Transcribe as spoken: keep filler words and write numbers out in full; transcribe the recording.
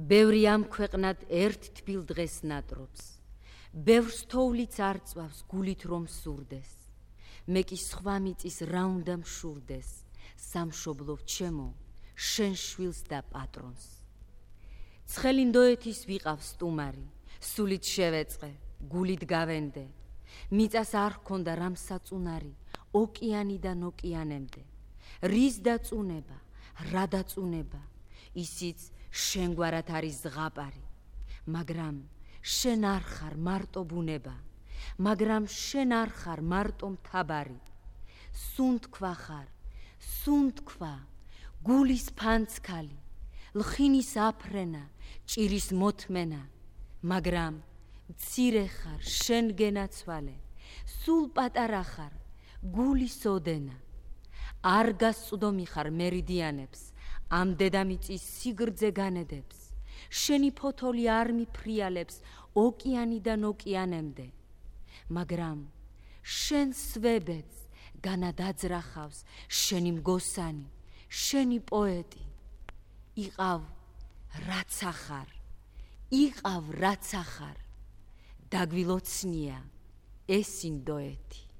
ბევრი ამ ქვეყნად ერთ თბილ დღეს ნატრობს, ბევრს თოვლიც არ წვავს გულით რომ სურდეს, მე კი სხვა მიწის რა უნდა მშურდეს, სამშობლო ჩემო, შენ შვილს და პატრონს. ცხელი ნდოეთის ვიყავ სტუმარი, სულით შევეწყე, გულით გავენდე, მიწას არ ჰქონდა რამ საწუნარი, ოკეანიდან ოკეანემდე, რის დაწუნება, რა დაწუნება, ისიც შენგვარად არის ზღაპარი, მაგრამ შენ არ ხარ მარტო ბუნება, მაგრამ შენ არ ხარ მარტო მთაბარი, სუნთქვა ხარ, სუნთქვა, გულის ფანცქალი, ლხინის აფრენა, ჭირის მოთმენა, მაგრამ მცირე ხარ, შენ გენაცვალე, სულ პატარა ხარ, გულის ოდენა, არ გასწვდომი ხარ მერიდიანებს, ამ დედამიწის სიგრძე განედებს, შენი ფოთოლი არ მიფრიალებს ოკეანიდან ოკეანემდე, მაგრამ შენ სვებედს განადაძრახავს შენი მგოსანი, შენი პოეტი, იყავ რაც ახარ, იყავ რაც ახარ, დაგვილოცნია ეს ინდოეთი.